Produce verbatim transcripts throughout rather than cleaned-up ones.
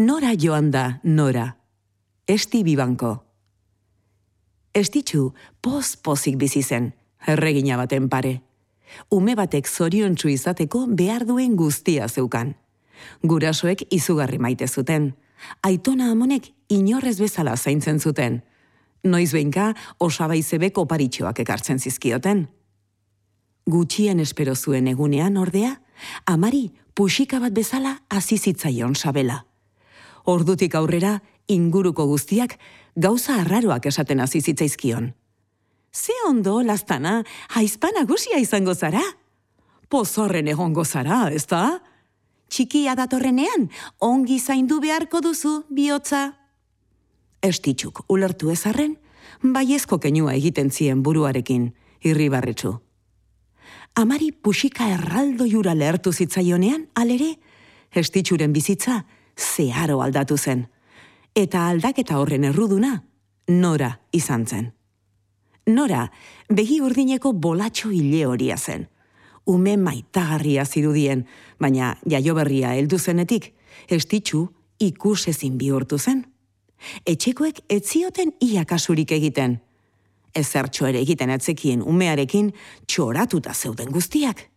Nora joan da, Nora. Esti bibanko. Estitxu poz-pozik bizi zen, erregina baten pare. Ume batek zoriontsu izateko behar duen guztia zeukan. Gurasoek izugarri maite zuten. Aitona amonek inorrez bezala zaintzen zuten. Noiz behinka osabaizebek oparitxoak ekartzen zizkioten. Gutxien espero zuen egunean ordea, amari puxika bat bezala hasi zitzaion sabela. Ordutik aurrera inguruko guztiak gauza arraroak esaten hasi zitzaizkion. Ze ondo, Laztana, aizpa nagusia izango zara? Pozorren egongo zara, ezta? Txikia datorrenean, ongi zaindu beharko duzu, bihotza. Estitxuk ulertu ezarren, baiezko keinua egiten zien buruarekin, irribarretsu. Amari puxika erraldo jura lehertu zitzaionean, alere, Estitxuren bizitza zeharo aldatu zen. Eta aldaketa horren erruduna, Nora izan zen. Nora, begi urdineko bolatxo hile horia zen. Ume maitagarria zirudien, baina jaioberria heldu zenetik, Estitxu ikusezin bihurtu zen. Etxekoek ez zioten ia kasurik egiten. Ezertxo ere egiten atzekien umearekin txoratuta zeuden guztiak.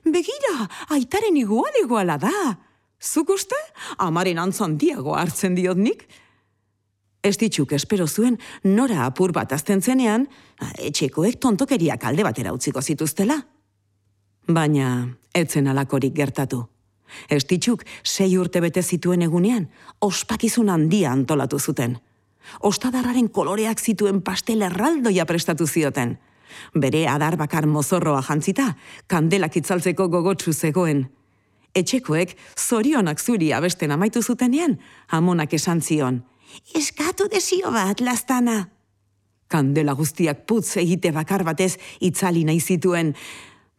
Begira, aitaren igual iguala da. Zuk uste? Amaren antzandiago hartzen diot nik? Estitxuk espero zuen Nora apur bat azten zenean, etxekoek tontokeriak alde batera utziko zituztela. Baina, etzen alakorik gertatu. Estitxuk sei urte bete zituen egunean, ospakizun handia antolatu zuten. Ostadarraren koloreak zituen pastel erraldoia prestatu zioten. Bere adar bakar mozorroa jantzita, kandelak itzaltzeko gogotsu zegoen. Etxekoek zorionak zuri abesten amaitu zutenean, amonak esan zion. Eskatu desio bat, Laztana. Kandela guztiak putz egite bakar batez itzali nahi zituen,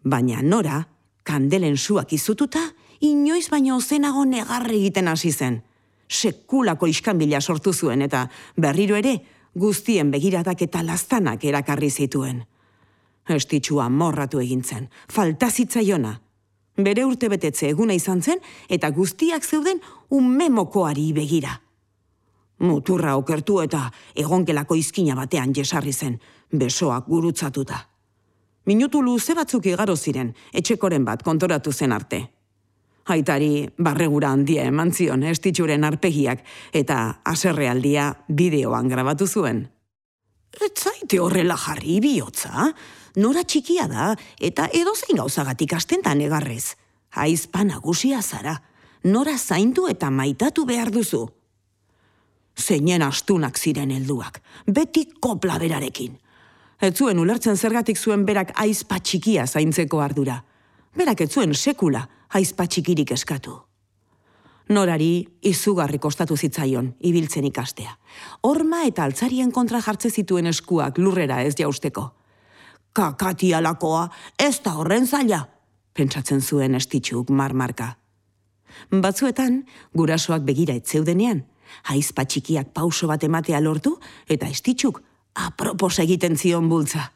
baina Nora, kandelen suak izututa, inoiz baino ozenago negarre egiten hasi zen. Sekulako iskanbila sortu zuen eta berriro ere guztien begiradak eta Laztanak erakarri zituen. Estitxua morratu egintzen, falta zitzaiona. Bere urtebetetze eguna izan zen eta guztiak zeuden umemokoari begira. Muturra okertu eta egonkelako izkina batean jesarri zen, besoak gurutzatuta. Minutu luze batzuk igaro ziren, etxekoren bat kontoratu zen arte. Aitari barregura handia eman zion Estitxuren arpegiak eta haserrealdia bideoan grabatu zuen. Ez zaite horrela jarri, bihotza? Nora txikia da eta edozein gauzagatik astentan egarrez. Aizpa nagusia zara, Nora zaindu eta maitatu behar duzu. Zeinen astunak ziren helduak, beti kopla berarekin. Ez zuen ulertzen zergatik zuen berak aizpa txikia zaintzeko ardura. Berak ez zuen sekula aizpa txikirik eskatu. Norari izugarri kostatu zitzaion, ibiltzen ikastea. Horma eta altzarien kontra jartze zituen eskuak lurrera ez jausteko. Kakati alakoa, ez da horren zaila, pentsatzen zuen Estitxuk marmarka. Batzuetan, gurasoak begira ez zeudenean, aizpa txikiak pauso bat ematea lortu eta Estitxuk apropos egiten zion bultza.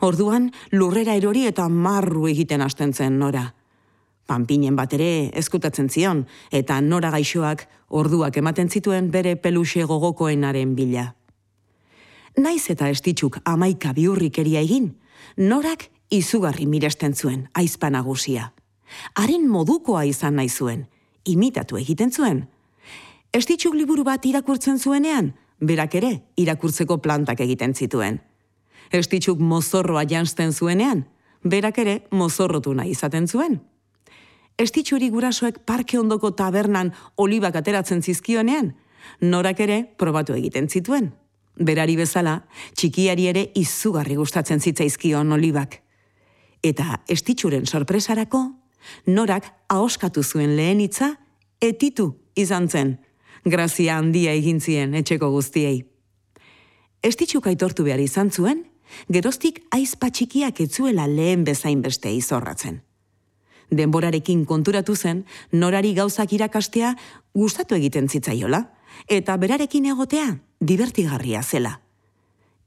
Orduan, lurrera erori eta marru egiten hasten zen Nora. Panpinen bat ere ezkutatzen zion, eta Nora gaixoak orduak ematen zituen bere peluxe gogokoenaren bila. Naiz eta Estitxuk amaika biurrikeria egin, Norak izugarri miresten zuen aizpa nagusia. Haren modukoa izan nahi zuen, imitatu egiten zuen. Estitxuk liburu bat irakurtzen zuenean, berak ere irakurtzeko plantak egiten zituen. Estitxuk mozorroa janzten zuenean, berak ere mozorrotu nahi izaten zuen. Estitxuri gurasoek parke ondoko tabernan olibak ateratzen zizkionean, Norak ere probatu egiten zituen. Berari bezala, txikiari ere izugarri gustatzen zitzaizkion olibak. Eta Estitxuren sorpresarako, Norak ahoskatu zuen lehen hitza etitu izan zen, grazia handia egin zien etxeko guztiei. Estitxuk aitortu behar izan zuen, geroztik aizpa txikiak etzuela lehen bezain beste izorratzen. Denborarekin konturatu zen, Norari gauzak irakastea gustatu egiten zitzaiola, eta berarekin egotea divertigarria zela.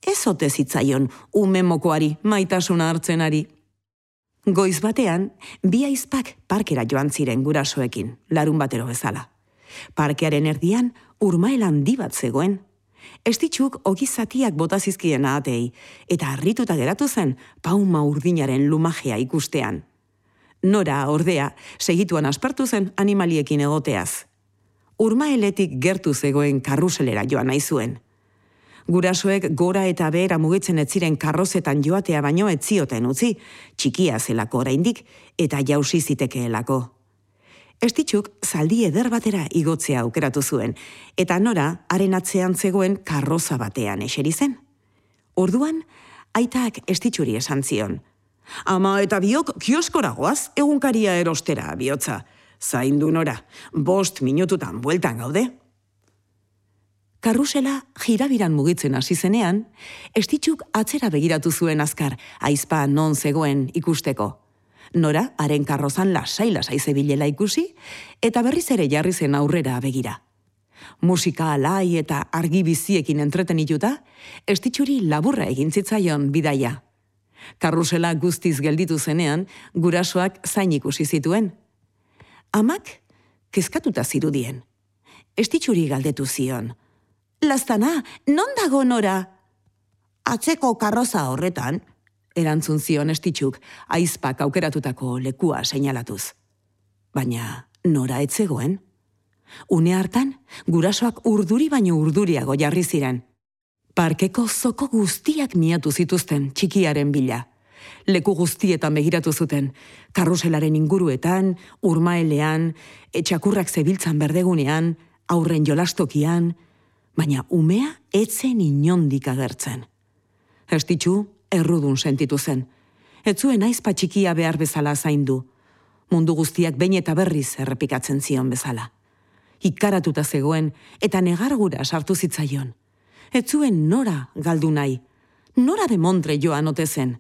Ez ote zitzaion ume mokoari maitasuna hartzenari. Goiz batean, bi aizpak parkera joan ziren gurasoekin, larun batero bezala. Parkearen erdian urmael handi bat zegoen. Estitxuk ogizatiak botazizkien ahatei, eta harrituta geratu zen pauma urdinaren lumajea ikustean. Nora, ordea, segituan aspertu zen animaliekin egoteaz. Urmaeletik gertu zegoen karruselera joan nahi zuen. Gurasoek gora eta behera mugitzen ez ziren karrozetan joatea baino ez zioten utzi, txikia zelako oraindik eta jausi zitekeelako. Estitxuk zaldi eder batera igotzea aukeratu zuen, eta Nora haren atzean zegoen karroza batean eseri zen. Orduan, aitak Estitxuri esan zion. Ama eta biok kioskora goaz egunkaria erostera bihotza. Zaindu Nora, bost minututan bueltan gaude. Karrusela jirabiran mugitzen hasi zenean, Estitxuk atzera begiratu zuen azkar, aizpa non zegoen ikusteko. Nora, haren karrozan lasai-lasai zebilela ikusi, eta berriz ere jarri zen aurrera begira. Musika alai eta argi biziekin entretenituta, Estitxuri laburra egin zitzaion bidaia. Karrusela guztiz gelditu zenean, gurasoak zain ikusi zituen. Amak, kezkatuta zirudien. Estitxuri galdetu zion. Laztana, non dago Nora? Atzeko karroza horretan, erantzun zion Estitxuk, aizpak aukeratutako lekua seinalatuz. Baina Nora ez zegoen. Une hartan, gurasoak urduri baino urduriago jarri ziren. Parkeko zoko guztiak miatu zituzten txikiaren bila. Leku guztietan begiratu zuten, karruselaren inguruetan, urmaelean, etxakurrak zebiltzan berdegunean, aurren jolastokian, baina umea etzen inondik agertzen. Estitxu errudun sentitu zen. Ez zuen aizpa txikia behar bezala zaindu. Mundu guztiak behin eta berriz errepikatzen zion bezala. Ikaratuta zegoen eta negargura sartu zitzaion. Ez zuen Nora galdu nahi. Nora de Montre joan ote zen.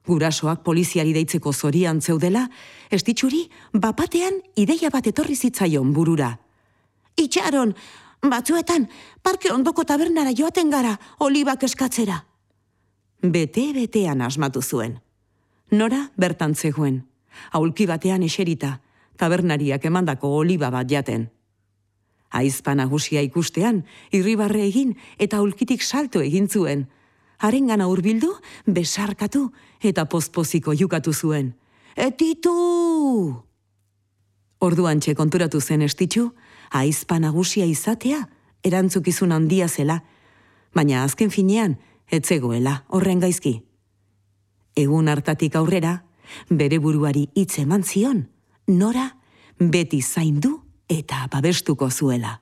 Gurasoak poliziari deitzeko zorian zeudela, Estitxuri bapatean ideia bat etorri zitzaion burura. Itxaron, batzuetan, parke ondoko tabernara joaten gara, olibak eskatzera. Bete-betean asmatu zuen. Nora bertan zegoen, aulki batean eserita, tabernariak emandako oliba bat jaten. Aizpa nagusia ikustean, irribarre egin eta aulkitik salto egin zuen. Harengana hurbildu, besarkatu eta pozpoziko jukatu zuen. Etitu! Orduantxe konturatu zen Estitxu, aizpa nagusia izatea erantzukizun handia zela, baina azken finean ez zegoela horren gaizki. Egun hartatik aurrera, bere buruari hitz eman zion, Nora beti zaindu eta babestuko zuela.